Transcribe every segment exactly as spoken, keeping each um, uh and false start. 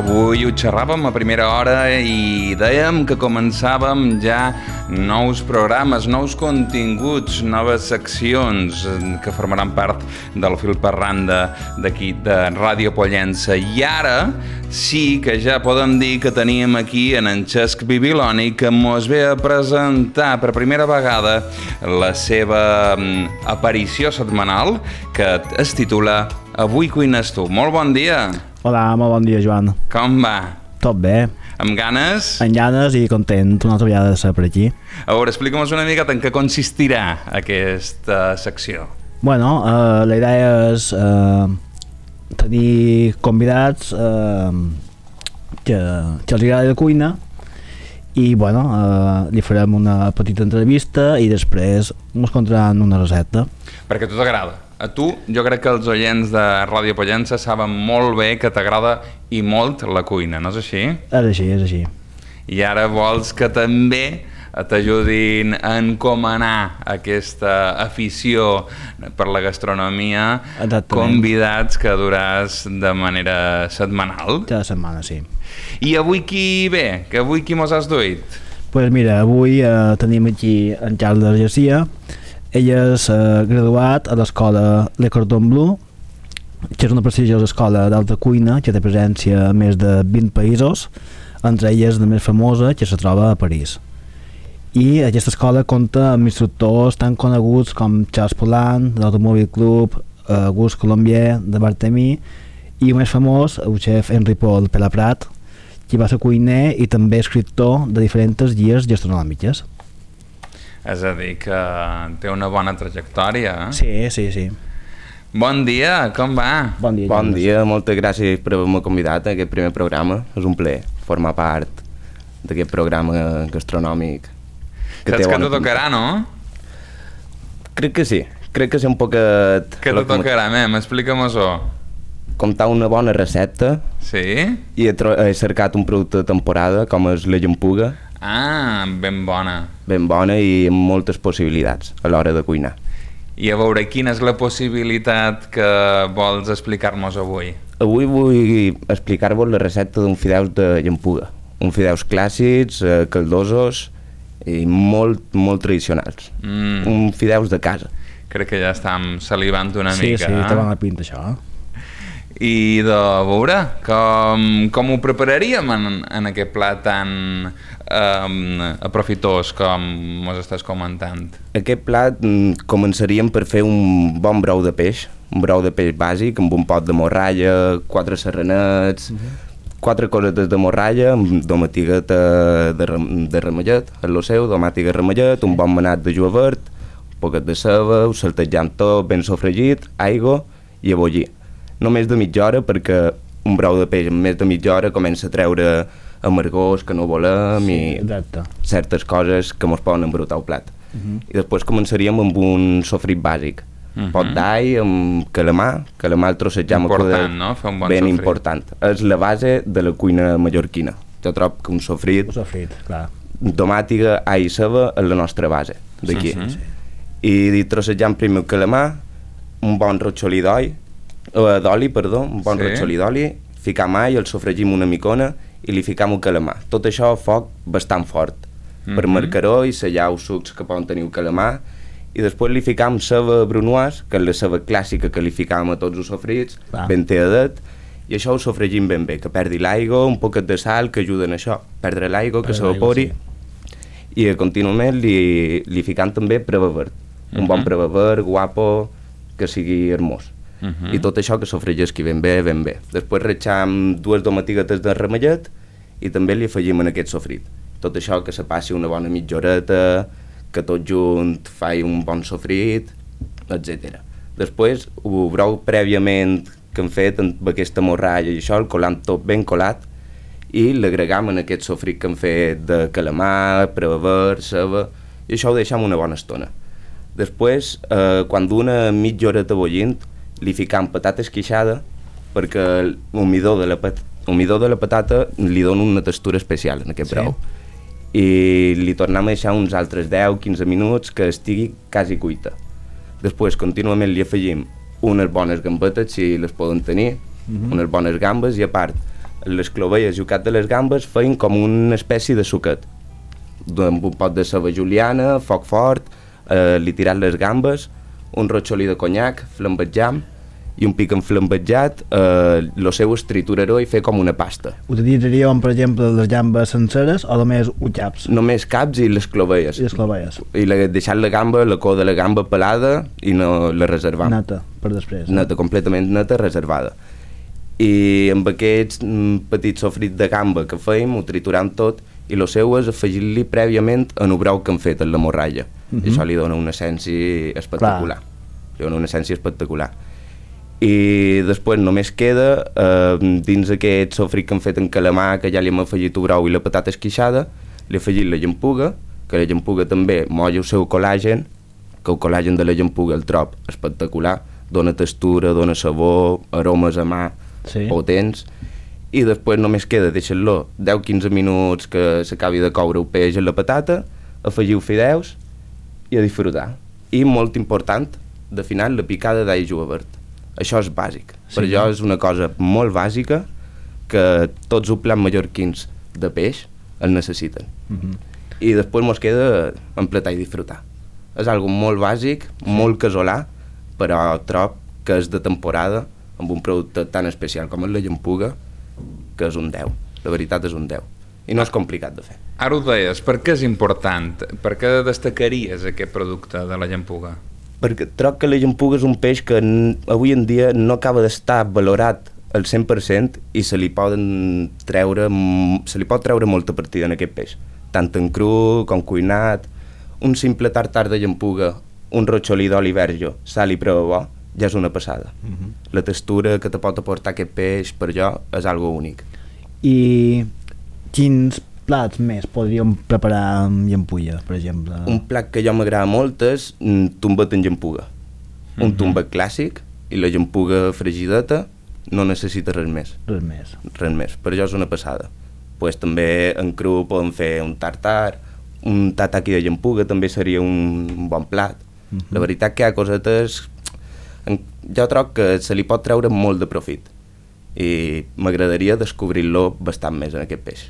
Avui ho xerràvem a primera hora i dèiem que començàvem ja nous programes, nous continguts, noves seccions que formaran part del fil per randa d'aquí de Ràdio Pollença. I ara sí que ja podem dir que teníem aquí en en Cesc Bibiloni, que mos ve a presentar per primera vegada la seva aparició setmanal, que es titula Avui cuines tu. Molt bon dia. Hola, molt bon dia, Joan. Com va? Tot bé. Amb ganes? Amb ganes i content una altra vegada de ser per aquí. A veure, explica'm una mica en què consistirà aquesta secció. Bueno, eh, la idea és eh, tenir convidats eh, que, que els agrada la cuina i, bueno, eh, li farem una petita entrevista i després ens contaran una recepta. Perquè a tu t'agrada. A tu, jo crec que els oients de Ràdio Pollença saben molt bé que t'agrada i molt la cuina, no és així? És així, és així. I ara vols que també t'ajudin a encomanar aquesta afició per la gastronomia. Exactament. Convidats que duràs de manera setmanal. Cada setmana, sí. I avui qui ve? Que avui qui mos has duit? Doncs pues mira, avui eh, tenim aquí en Carles Garcia. Ell és eh, graduat a l'escola Le Cordon Bleu, que és una prestigiosa escola d'alta cuina que té presència a més de vint països, entre elles la més famosa, que se troba a París. I aquesta escola compta amb instructors tan coneguts com Charles Poulan, de l'Automòbil Club, Auguste Colombier, de Barthélemy, i el més famós, el xef Henri Paul Pelaprat, qui va ser cuiner i també escriptor de diferents guies gastronòmiques. És a dir, que té una bona trajectòria. Eh? Sí, sí, sí. Bon dia, com va? Bon dia. Bon dia, moltes gràcies per haver-me convidat a aquest primer programa. És un plaer formar part d'aquest programa gastronòmic. Que Saps que t'ho tocarà, no? Crec que sí. Crec que sí un poquet... Què t'ho tocarà, mem? Explica-mos-ho. Comptar una bona recepta. Sí? I he, he cercat un producte de temporada, com és la llampuga. Ah, ben bona. Ben bona i amb moltes possibilitats a l'hora de cuinar. I a veure, quina és la possibilitat que vols explicar-nos avui? Avui vull explicar-vos la recepta d'un fideus de llampuga. Uns fideus clàssics, eh, caldosos i molt, molt tradicionals. Mm. Un fideus de casa. Crec que ja estem salivant una sí, mica. Sí, sí, eh? té bona pinta això. I de veure, com, com ho prepararíem en, en aquest plat tan um, aprofitós com mos estàs comentant? Aquest plat mm, començaríem per fer un bon brou de peix, un brou de peix bàsic amb un pot de morralla, quatre serranets, uh-huh. quatre cosetes de morralla, amb domatigueta de, de ramellet, el lo seu, domàtica ramellet, un bon manat de julivert, un poquet de ceba, ho saltejam tot ben sofregit, aigua i a bullir. No més de mitja hora, perquè un brou de peix en més de mitja hora comença a treure amargors que no volem sí, i exacte. Certes coses que ens poden embrutar el plat. Uh-huh. I després començaríem amb un sofrit bàsic. Uh-huh. Pot d'all amb calamar, calamar el trossejam important, no? Fer un bon ben sofrit. Important. És la base de la cuina mallorquina. Jo trobo que un sofrit, un sofrit clar. Tomàtiga, all i ceba és la nostra base d'aquí. Uh-huh. I trossejam primer el calamar, un bon rotxolí d'all, d'oli, perdó, un bon sí. rotxolí d'oli, ficam all, el sofregim una micona i li ficam el calamar. Tot això a foc bastant fort, mm-hmm. per marcaró i sellar els sucs que poden tenir el calamar, i després li ficam ceba brunoise, que és la ceba clàssica que li ficam a tots els sofrits, ah. ben teadet, i això ho sofregim ben bé, que perdi l'aigua, un poquet de sal que ajuden a això, perdre l'aigua, que s'evapori, sí. I contínuament li, li ficam també preva verd, mm-hmm. un bon preva verd, guapo, que sigui hermós. Uh-huh. I tot això que sofregisqui ben bé, ben bé. Després retxam dues domatiguetes de ramellet i també li afegim en aquest sofrit. Tot això que se passi una bona mitja horeta, que tot junt faci un bon sofrit, etcètera. Després ho brou prèviament que hem fet amb aquesta morralla i això, el colam tot ben colat, i l'agregam en aquest sofrit que hem fet de calamar, prever, ceba, i això ho deixam una bona estona. Després, eh, quan d'una mitja horeta bullint, li ficam patata esqueixada perquè el midó de la, pat el midó de la patata li dona una textura especial en aquest sí. brou. I li tornem a deixar uns altres deu a quinze minuts que estigui quasi cuita. Després contínuament li afegim unes bones gambetes, si les poden tenir, uh-huh. unes bones gambes, i a part les clovelles i el cap de les gambes feien com una espècie de suquet, amb un pot de ceba juliana, foc fort, eh, li tirat les gambes, un rotxolí de conyac, flambejam, i un pic enflambejat, eh, lo seu es trituraró i fer com una pasta. Utilitzaríem, per exemple, les gambes senceres o només un caps? Només caps i les clovelles. I les clovelles. I la, deixar la gamba, la cua de la gamba pelada i no la reservam. Neta, per després. Neta, completament neta, reservada. I amb aquests mm, petits sofrits de gamba que fèiem, ho trituram tot i lo seu és afegir-li prèviament en el brou que hem fet en la morralla. Uh -huh. I això li dona una essència espectacular. Clar. Li dona una essència espectacular. I després només queda, eh, dins aquest sofrit que hem fet en calamar, que ja li hem afegit el brou i la patata esquixada, li he afegit la llampuga, que la llampuga també molla el seu col·làgen, que el col·làgen de la llampuga el trob espectacular, dona textura, dona sabor, aromes a mà, sí, potents, i després només queda deixar-lo deu a quinze minuts que s'acabi de coure el peix en la patata, afegiu fideus i a disfrutar. I molt important, de final, la picada d'all julivert. Això és bàsic. Sí, per jo és una cosa molt bàsica que tots els plats mallorquins de peix el necessiten. Uh-huh. I després mos queda empletar i disfrutar. És algo molt bàsic, sí, molt casolà, però trob que és de temporada, amb un producte tan especial com és la llampuga, que és un deu. La veritat és un deu. I no és complicat de fer. Ara ho deies, per què és important? Per què destacaries aquest producte de la llampuga? Perquè trob que la llampuga és un peix que avui en dia no acaba d'estar valorat al cent per cent i se li poden treure, se li pot treure molta partida en aquest peix. Tant en cru com cuinat. Un simple tartar de llampuga, un rotxolí d'oli verge, sal i prou bo, ja és una passada. Uh-huh. La textura que te pot aportar aquest peix, per jo, és algo únic. I quins plats més podríem preparar amb llampuga, per exemple? Un plat que jo m'agrada molt és un tombet en llampuga. Uh-huh. Un tombet clàssic i la llampuga fregideta no necessita res més. Res més. Res més, per jo és una passada. Pues també en cru podem fer un tartar, un tataki de llampuga també seria un bon plat. Uh-huh. La veritat que hi ha cosetes... Jo trobo que se li pot treure molt de profit i m'agradaria descobrir-lo bastant més en aquest peix.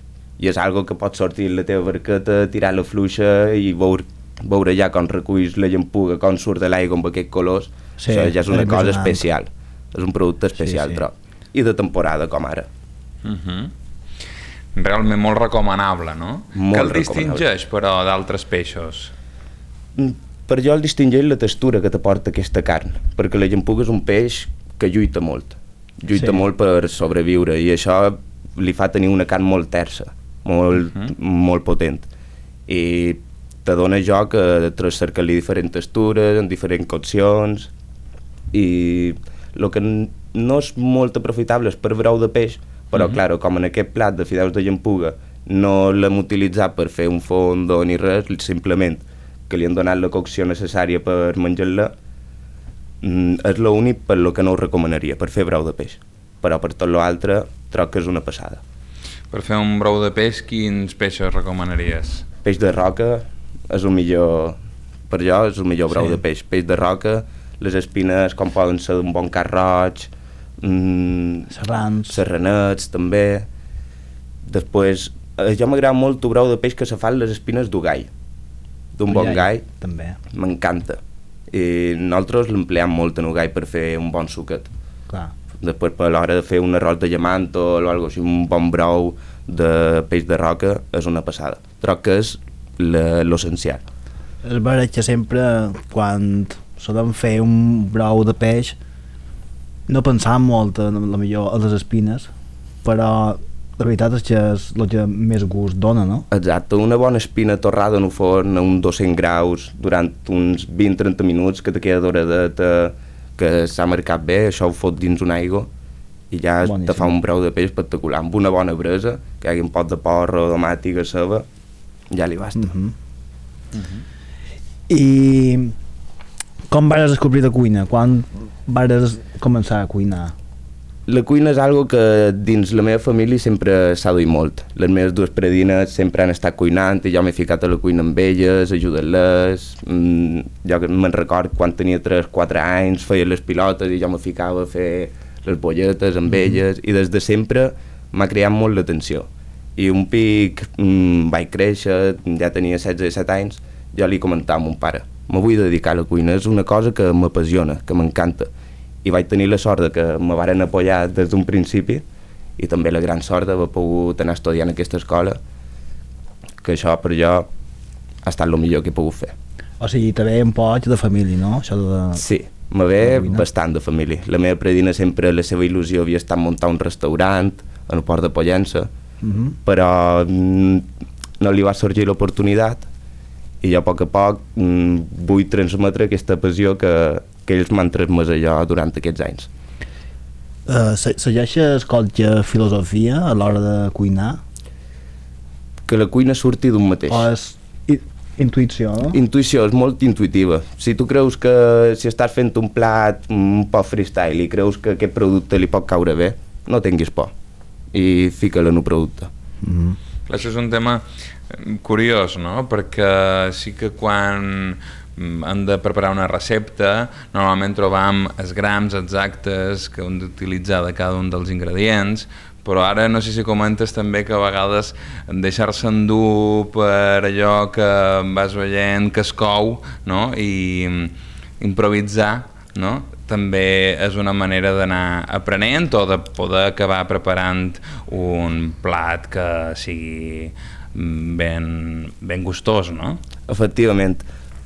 I és algo que pots sortir la teva barqueta, tirar la fluixa i veure, veure ja com reculls la llampuga, com surt de l'aigua amb aquests colors. Sí, això ja és una cosa especial. És un producte especial, sí, sí, trobo. I de temporada, com ara. Uh-huh. Realment molt recomanable, no? Molt que el distingeix, però, d'altres peixos? Per jo el distingeix la textura que t'aporta aquesta carn, perquè la llampuga és un peix que lluita molt, lluita sí, molt per sobreviure, i això li fa tenir una carn molt tersa, molt, uh-huh, molt potent, i te dona joc a cercar-li diferents textures, en diferents coccions, i el que no és molt aprofitable és per brou de peix, però, uh-huh, clar, com en aquest plat de fideus de llampuga no l'hem utilitzat per fer un fondo ni res, simplement que li han donat la cocció necessària per menjar-la, és l'únic per lo que no ho recomanaria, per fer brou de peix. Però per tot l'altre, trobo que és una passada. Per fer un brou de peix, quins peixos recomanaries? Peix de roca és el millor, per jo és el millor brou, sí, de peix. Peix de roca, les espines com poden ser d'un bon carn roig, mmm, serrans, serranets també. Després, eh, jo m'agrada molt el brou de peix que se fan les espines d'ugall, d'un bon gall, també m'encanta, i nosaltres l'empleam molt en ugall per fer un bon suquet. Clar. Després, per l'hora de fer un arròs de llamanto o alguna cosa així, un bon brou de peix de roca és una passada. Trobo que és l'essencial. És veritat que sempre quan solem fer un brou de peix no pensam molt a, a millor a les espines, però la veritat és que és el que més gust dona, no? Exacte, una bona espina torrada en un forn a uns dos-cents graus durant uns vint a trenta minuts, que te queda doradeta, que s'ha marcat bé, això ho fot dins una aigua i ja boníssim, te fa un brou de peix espectacular, amb una bona bresa, que hi hagi un pot de porro, de màtiga, ceba, ja li basta. Uh-huh. Uh-huh. I com vas descobrir la cuina? Quan vas començar a cuinar? La cuina és algo que dins la meva família sempre s'ha duit molt. Les meves dues predines sempre han estat cuinant i jo m'he ficat a la cuina amb elles, ajudant-les. Mm, jo me'n record quan tenia tres o quatre anys, feia les pilotes i jo me ficava a fer les bolletes amb mm-hmm, elles, i des de sempre m'ha creat molt l'atenció. I un pic mmm, vaig créixer, ja tenia setze o disset anys, jo li comentava a mon pare, me vull dedicar a la cuina, és una cosa que m'apassiona, que m'encanta. I vaig tenir la sort de que me varen apoyar des d'un principi i també la gran sort d'haver pogut anar estudiant en aquesta escola, que això per jo ha estat el millor que he pogut fer. O sigui, te ve un poc de família, no? Això de... Sí, me ve bastant de família. La meva predina sempre, la seva il·lusió havia estat muntar un restaurant en el port de Pollença, uh -huh. però no li va sorgir l'oportunitat i jo a poc a poc vull transmetre aquesta passió que, que ells m'han transmès a jo durant aquests anys. Uh, Segueixes qualque filosofia a l'hora de cuinar? Que la cuina surti d'un mateix. O és intuïció, no? Intuïció, és molt intuïtiva. Si tu creus que si estàs fent un plat un poc freestyle i creus que aquest producte li pot caure bé, no tinguis por i fica-la en el producte. Mm-hmm. Això és un tema curiós, no? Perquè sí que quan hem de preparar una recepta normalment trobam els grams exactes que hem d'utilitzar de cada un dels ingredients, però ara no sé si comentes també que a vegades deixar-se endur per allò que vas veient que es cou, no? I improvisar, no? També és una manera d'anar aprenent o de poder acabar preparant un plat que sigui ben, ben gustós, no? Efectivament.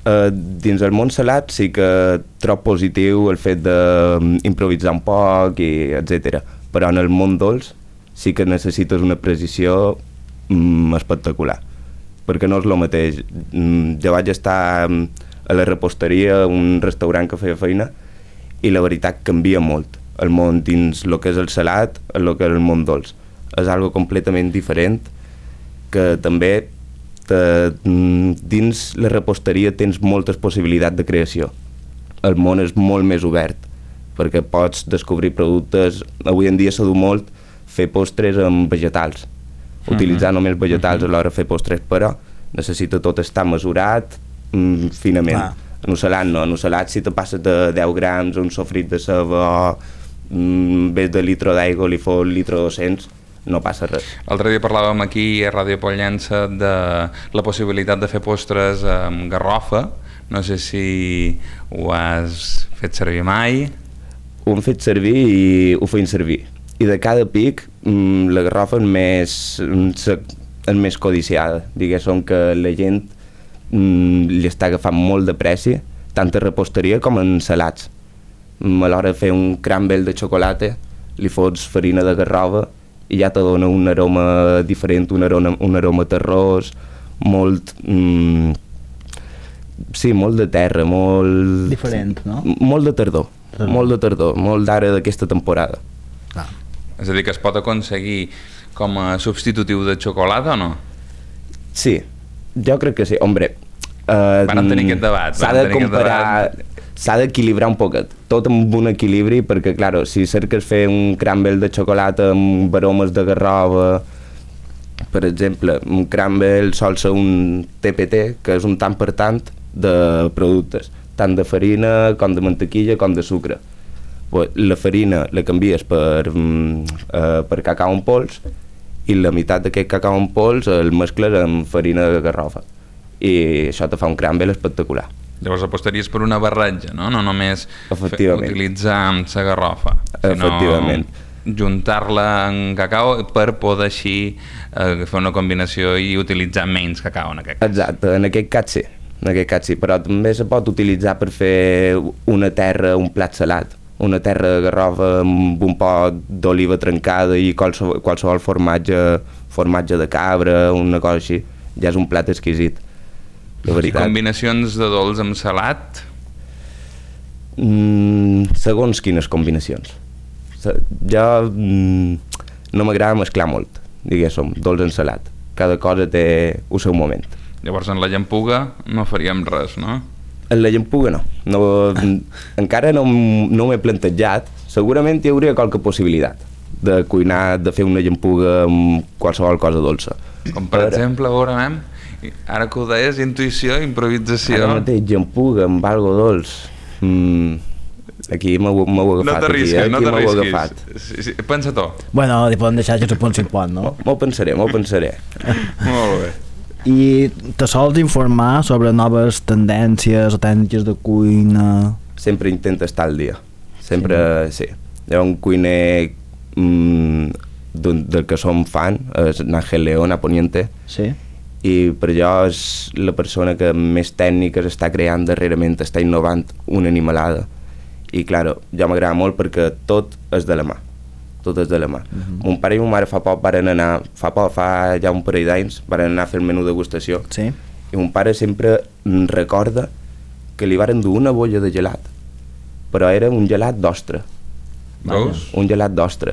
Uh, dins el món salat sí que trob positiu el fet d'improvisar un poc, i etcètera. Però en el món dolç sí que necessites una precisió mm, espectacular, perquè no és el mateix. Mm, jo vaig estar a la reposteria, un restaurant que feia feina, i la veritat canvia molt el món dins el que és el salat, el que és el món dolç. És algo completament diferent, que també te, dins la reposteria tens moltes possibilitats de creació. El món és molt més obert, perquè pots descobrir productes. Avui en dia s'ha dut molt fer postres amb vegetals, utilitzar uh-huh. només vegetals uh-huh. a l'hora de fer postres, però necessita tot estar mesurat mm, finament. Ah. En el salat no, en el salat si te passes de deu grams un sofrit de ceba o mm, vés de litre d'aigua li fos litre dos-cents, no passa res. L'altre dia parlàvem aquí a Ràdio Pollença de la possibilitat de fer postres amb garrofa, no sé si ho has fet servir mai. Ho hem fet servir i ho feim servir. I de cada pic mm, la garrofa és més, és més codiciada, diguéssim que la gent mm, li està agafant molt de pressi, tant a reposteria com en salats. Mm, a l'hora de fer un crumble de xocolata li fots farina de garrova i ja te dona un aroma diferent, un aroma, un aroma terrós, molt... Mm, sí, molt de terra, molt... Diferent, no? Molt de tardor, tardor. molt de tardor, molt d'ara d'aquesta temporada. Ah. És a dir, que es pot aconseguir com a substitutiu de xocolata o no? Sí, jo crec que sí. Hombre, eh, van tenir aquest debat. S'ha de comparar, s'ha d'equilibrar un poquet, tot amb un equilibri, perquè, clar, si cerques fer un crumble de xocolata amb aromes de garrova, per exemple, un crumble sol ser un T P T, que és un tant per tant de productes, tant de farina com de mantequilla com de sucre. La farina la canvies per, eh, per cacau en pols i la meitat d'aquest cacau en pols el mescles amb farina de garrofa i això te fa un crumble espectacular. Llavors apostaries per una barreja, no? No només utilitzar la garrofa, sinó juntar-la en cacau per poder així eh, fer una combinació i utilitzar menys cacau en aquest cas. Exacte, en aquest cas sí, en aquest cas sí, però també se pot utilitzar per fer una terra, un plat salat, una terra de garrofa amb un pot d'oliva trencada i qualsevol, qualsevol formatge, formatge de cabra, una cosa així, ja és un plat exquisit. I combinacions de dolç amb salat? Mm, segons quines combinacions. Jo mm, no m'agrada mesclar molt, diguéssim, dolç amb salat. Cada cosa té el seu moment. Llavors en la llampuga no faríem res, no? En la llampuga no, no encara no, no m'he plantejat. Segurament hi hauria qualque possibilitat de cuinar, de fer una llampuga amb qualsevol cosa dolça. Com per Però... exemple, veurem, ara que ho deies, intuïció, improvisació. Ara mateix, llampuga amb algo dolç. Mm, Aquí m'ho m'ho he agafat. No t'arrisques, aquí, no aquí m'ho he t'arrisquis. agafat. Sí, sí. Pensa-t'ho. Bueno, li podem deixar que se pot si pot, no? M'ho pensaré, m'ho pensaré. Molt bé. I te sols informar sobre noves tendències o tècniques de cuina? Sempre intento estar al dia. Sempre, sí. sí. Hi ha un cuiner mmm, del, del que som fan, és Ángel León, a Poniente. Sí. I per allò és la persona que més tècniques està creant darrerament, està innovant una animalada. I, clar, ja m'agrada molt perquè tot és de la mà. Tot és de la mà. Uh-huh. Mon pare i mon mare fa poc varen anar, fa poc, fa ja un parell d'anys, varen anar a fer el menú degustació. Sí. I mon pare sempre recorda que li varen dur una bolla de gelat, però era un gelat d'ostra. Veus? Un gelat d'ostra.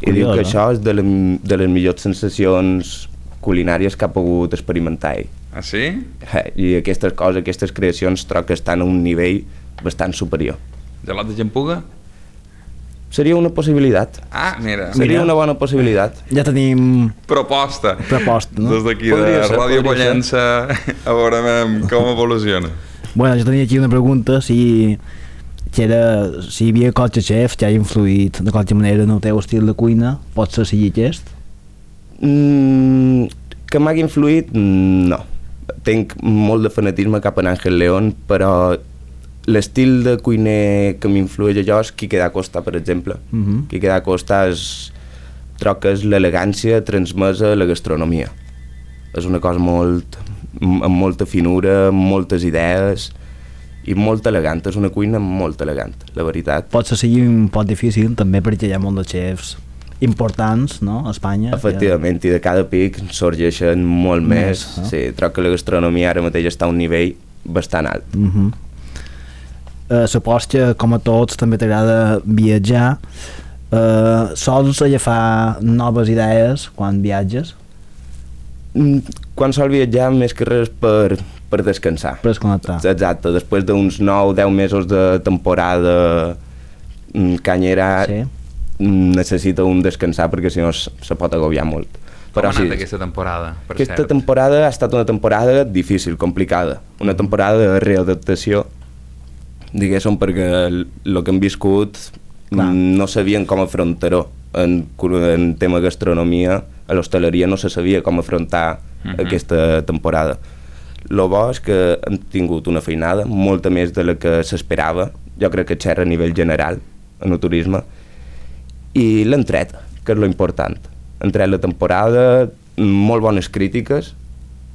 I Curiós, diu que eh? això és de, la, de les millors sensacions culinàries que ha pogut experimentar ell. Ah, sí? Eh, I aquestes coses, aquestes creacions, trobo que estan a un nivell bastant superior. Gelat de gempuga? Seria una possibilitat. Ah, mira. Seria Mira. una bona possibilitat. Ja tenim Proposta. proposta, no? Des d'aquí Podria de ser, Ràdio podria Pollença, a veure com evoluciona. Bueno, jo tenia aquí una pregunta, si, que era, si hi havia qualque xef que ha influït de qualque manera en el teu estil de cuina, pot ser sigui aquest? Mm, que m'hagi influït, no. Tenc molt de fanatisme cap a Ángel León, però l'estil de cuiner que m'influeix a jo és Quique da Costa, per exemple. Uh -huh. Quique da Costa és, trobo que és l'elegància transmesa a la gastronomia. És una cosa molt, amb molta finura, amb moltes idees i molt elegant. És una cuina molt elegant, la veritat. Pot ser sigui un poc difícil, també perquè hi ha molts de xefs importants, no?, a Espanya. Efectivament, i de cada pic sorgeixen molt més. Més, no? Sí, trobo que la gastronomia ara mateix està a un nivell bastant alt. Uh -huh. uh, Supos que, com a tots, també t'agrada viatjar. Uh, sols agafar noves idees quan viatges? Mm, Quan sol viatjar, més que res per, per descansar. Per desconnectar. Exacte, després d'uns nou o deu mesos de temporada mm, canyera, Sí. necessita un descansar perquè si no s- se pot agobiar molt. Com ha anat sí, aquesta temporada, per aquesta cert? temporada ha estat una temporada difícil, complicada. Una temporada de readaptació, diguéssim, perquè el, el que hem viscut Clar. mm, no sabien com afrontar-ho. En, en tema gastronomia, a l'hostaleria no se sabia com afrontar Mhm. aquesta temporada. Lo bo és que hem tingut una feinada, molta més de la que s'esperava, jo crec que xerra a nivell general en el turisme, i l'hem tret, que és lo important. Hem tret la temporada, molt bones crítiques,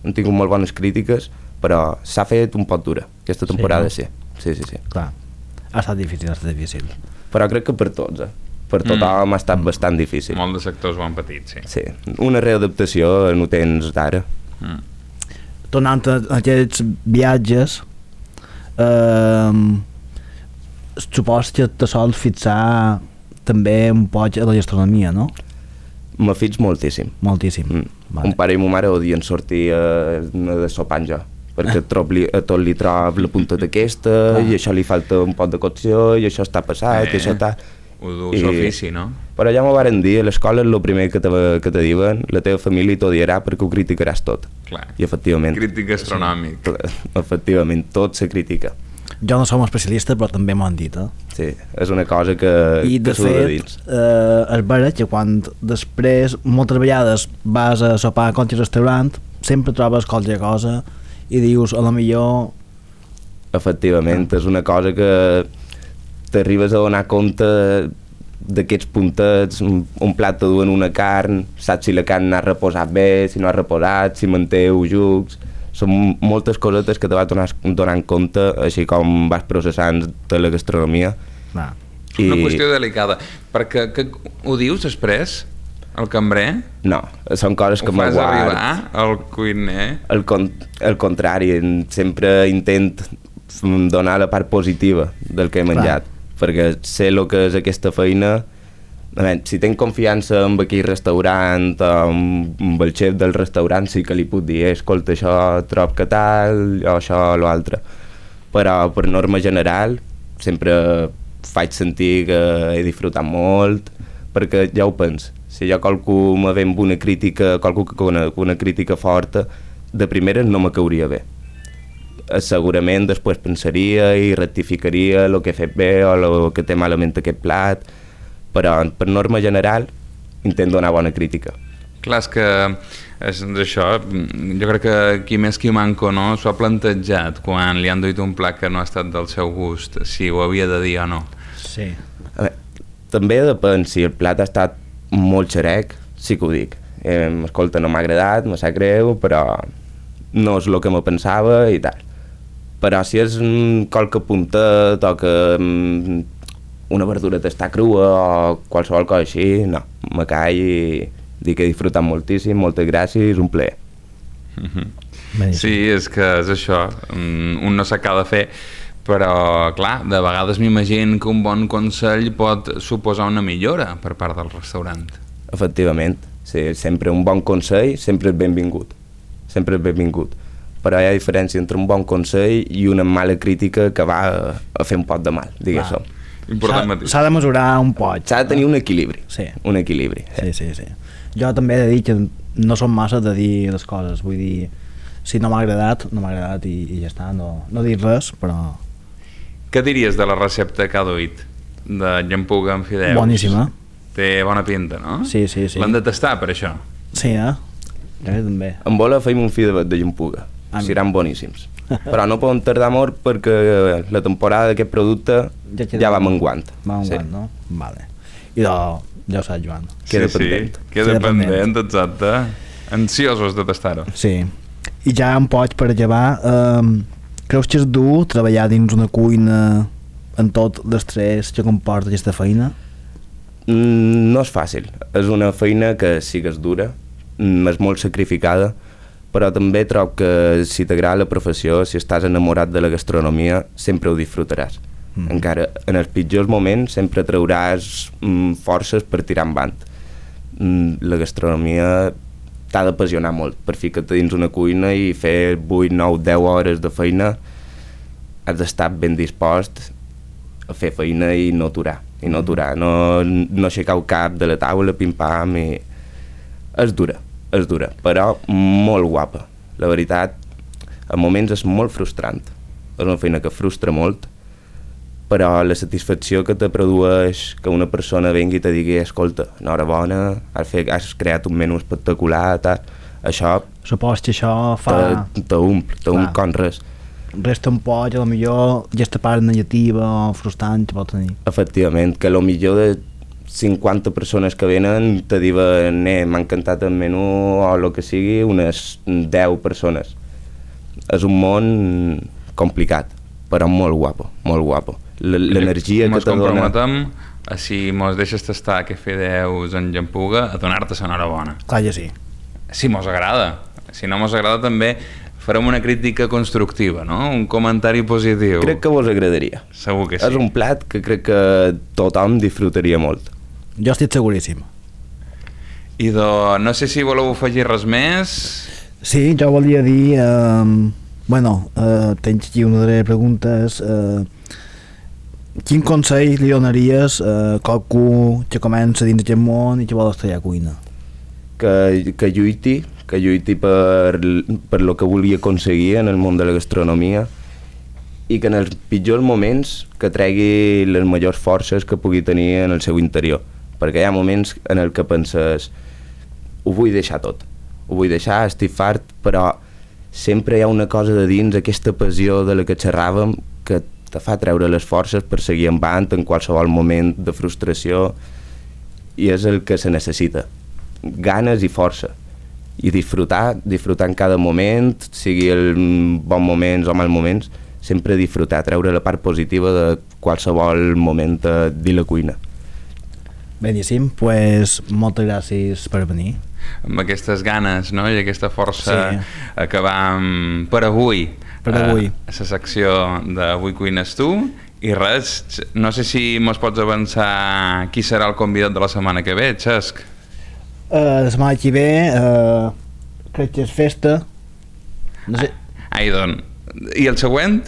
hem tingut molt bones crítiques, però s'ha fet un poc dura, aquesta temporada, sí. Sí, sí, sí. Clar. Ha estat difícil, ha estat difícil. Però crec que per tots, eh? Per tothom mm. ha estat bastant difícil. Molts de sectors ho han patit, sí. Sí, una readaptació no tens d'ara. Mm. Tornant a aquests viatges, eh, supos que te sols fixar també un poc a la gastronomia, no? Me fix moltíssim. Moltíssim. Mm. Vale. Un pare i ma mare odien sortir a, de sopar jo, perquè trob li, a tot li trob la punta d'aquesta, i això li falta un pot de cocció, i això està passat, Eh. i això està... Ho du I- l'ofici, no? Però ja m'ho varen dir, a l'escola és el primer que te, que te diuen, la teva família t'odiarà perquè ho criticaràs tot. Clar. I efectivament... Crític gastronòmic. Efectivament, tot se critica. Jo no som especialista, però també m'ho han dit, eh? Sí, és una cosa que, I de que surt de fet, dins. eh, és vera que quan després, moltes vegades vas a sopar a qualsevol restaurant, sempre trobes qualsevol cosa i dius, a lo millor... Efectivament, és una cosa que t'arribes a donar compte d'aquests puntets, un, un plat te duen una carn, saps si la carn ha reposat bé, si no ha reposat, si manté jucs... Són moltes cosetes que te vas donar, donant compte, així com vas processant de la gastronomia. Clar. I... Una qüestió delicada, perquè que, ho dius després, el cambrer? No, són coses que Ho fas m'aguard. arribar al cuiner? El, con el contrari, sempre intent donar la part positiva del que he menjat, clar, perquè sé el que és aquesta feina. A veure, si tenc confiança en aquell restaurant o amb el xef del restaurant, sí que li puc dir, escolta, això trob que tal, o això o l'altre. Però per norma general sempre faig sentir que he disfrutat molt, perquè ja ho pens. Si jo qualcú me ve amb una crítica, qualcú que una, una crítica forta, de primera no me cauria bé. segurament després pensaria i rectificaria el que he fet bé o el que té malament aquest plat, però per norma general intento donar bona crítica. Clar, és que és això, jo crec que qui més qui manco no s'ho ha plantejat quan li han duit un plat que no ha estat del seu gust, si ho havia de dir o no. Sí. A veure, també depèn, si el plat ha estat molt xerec, sí que ho dic. Eh, escolta, no m'ha agradat, me sap greu, però no és el que me pensava i tal. Però si és mm, qualque puntet o que mm, una verdura t'està crua o qualsevol cosa així, no, me call i dic que he disfrutat moltíssim, moltes gràcies, un plaer. Mm-hmm. Sí, és que és això, un no sap què ha de fer, però clar, de vegades m'imagino que un bon consell pot suposar una millora per part del restaurant. Efectivament, sí, sempre un bon consell sempre és benvingut, sempre és benvingut, però hi ha diferència entre un bon consell i una mala crítica que va a fer un pot de mal, diguéssim. S'ha de mesurar un pot. S'ha de tenir un equilibri, sí. un equilibri. Sí, sí, sí. Jo també he de dir que no som massa de dir les coses, vull dir, si no m'ha agradat, no m'ha agradat i, i ja està, no, no dir res, però... Què diries de la recepta que ha duit de llampuga amb fideus? Boníssima. Té bona pinta, no? Sí, sí, sí. L'han de tastar per això? Sí, eh? Jo també. En vola feim un fi de, de llampuga, ah, seran boníssims. Però no poden tardar molt perquè la temporada d'aquest producte ja, ja va menguant. Va menguant, sí. No? Vale. I de, ja ho saps, Joan. Queda sí, pendent. Sí, queda, queda pendent, pendent, exacte. Ansiosos de tastar-ho. Sí. I ja en pots per llevar, eh, creus que és dur treballar dins una cuina en tot l'estrès que comporta aquesta feina? Mm, no és fàcil. És una feina que sí que és dura, mm, és molt sacrificada, però també trobo que si t'agrada la professió, si estàs enamorat de la gastronomia, sempre ho disfrutaràs. Mm. Encara en els pitjors moments sempre trauràs mm, forces per tirar endavant. Mm, la gastronomia t'ha d'apassionar molt. Per ficar-te dins una cuina i fer vuit, nou, deu hores de feina, has d'estar ben dispost a fer feina i no aturar. I no aturar, no, no aixecar el cap de la taula, pim-pam, i... És dura. és dura, però molt guapa. La veritat, a moments és molt frustrant. És una feina que frustra molt, però la satisfacció que te produeix que una persona vengui i te digui escolta, enhorabona, has, fet, has creat un menú espectacular, tal, això... Supos que això fa... T'omple, t'omple com res. Resta un poc, a lo millor, aquesta part negativa o frustrant que pot tenir. Efectivament, que a lo millor de cinquanta persones que venen te diuen eh, m'ha encantat el menú o el que sigui, unes deu persones. És un món complicat, però molt guapo, molt guapo. L'energia que te dona... Mos comprometem a si mos deixes tastar que fideus en llampuga a donar-te l'enhorabona. Clar que sí. Si mos agrada. Si no mos agrada també farem una crítica constructiva, no? Un comentari positiu. Crec que vos agradaria. Segur que sí. És un plat que crec que tothom disfrutaria molt. Jo estic seguríssim. I do, no sé si voleu afegir res més. Sí, jo volia dir... Eh, bueno, eh, tens aquí una de les preguntes. Eh, quin consell li donaries a eh, qualcú que comença dins aquest món i que vol estudiar cuina? Que, que lluiti, que lluiti per, per lo que vulgui aconseguir en el món de la gastronomia i que en els pitjors moments que tregui les majors forces que pugui tenir en el seu interior. Perquè hi ha moments en el que penses ho vull deixar tot, ho vull deixar, estic fart, però sempre hi ha una cosa de dins, aquesta passió de la que xerràvem, que te fa treure les forces per seguir endavant en qualsevol moment de frustració, i és el que se necessita, ganes i força, i disfrutar, disfrutar en cada moment, sigui el bon moments o mal moments, sempre disfrutar, treure la part positiva de qualsevol moment de la cuina. Beníssim, doncs pues, moltes gràcies per venir. Amb aquestes ganes, no?, i aquesta força, sí. Acabam per avui, per avui. a la secció d'Avui cuines tu, i res, no sé si mos pots avançar qui serà el convidat de la setmana que ve, Xesc? Uh, la setmana que ve uh, crec que és festa. No sé. Ai, doncs, i el següent?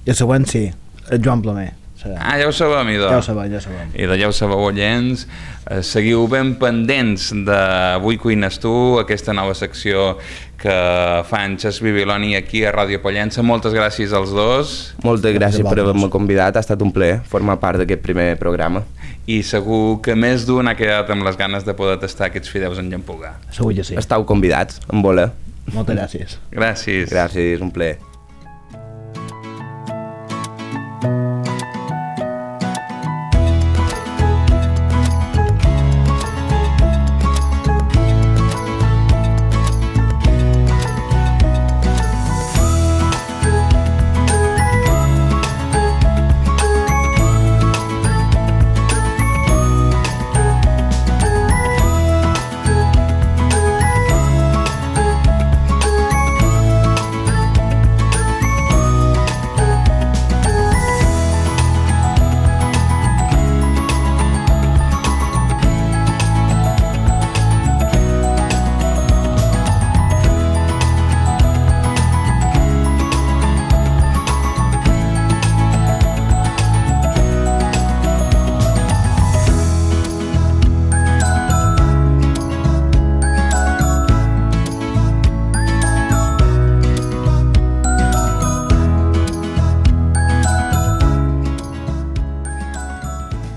I el següent sí, el Joan Plomer. sabem. Ah, ja ho sabem, idò. Ja ho sabem, ja ho sabem. I de ja ho sabeu, oients. Eh, seguiu ben pendents d'Avui Cuines Tu, aquesta nova secció que fa en Xas Bibiloni aquí a Ràdio Pollença. Moltes gràcies als dos. Moltes gràcies per haver-me convidat, ha estat un plaer formar part d'aquest primer programa. I segur que més d'un ha quedat amb les ganes de poder tastar aquests fideus en llampugar. Segur que sí. Estau convidats, en voler. Moltes gràcies. Gràcies. Gràcies, un plaer.